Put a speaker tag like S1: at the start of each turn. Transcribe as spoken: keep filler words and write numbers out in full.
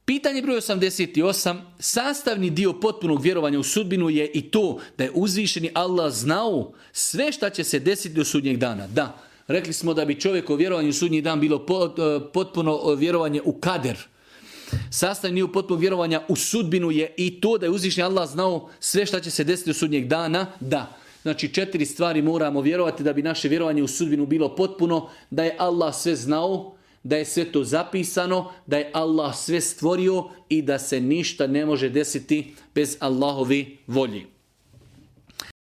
S1: Pitanje broj osamdeset osam. Sastavni dio potpunog vjerovanja u sudbinu je i to da je uzvišeni Allah znao sve šta će se desiti do sudnjeg dana. Da, rekli smo da bi čovjek o vjerovanju u sudnji dan bilo potpuno vjerovanje u kader. Sastavni dio potpunog vjerovanja u sudbinu je i to da je uzvišeni Allah znao sve šta će se desiti do sudnjeg dana. Da. Znači četiri stvari moramo vjerovati da bi naše vjerovanje u sudbinu bilo potpuno, da je Allah sve znao, da je sve to zapisano, da je Allah sve stvorio i da se ništa ne može desiti bez Allahove volje.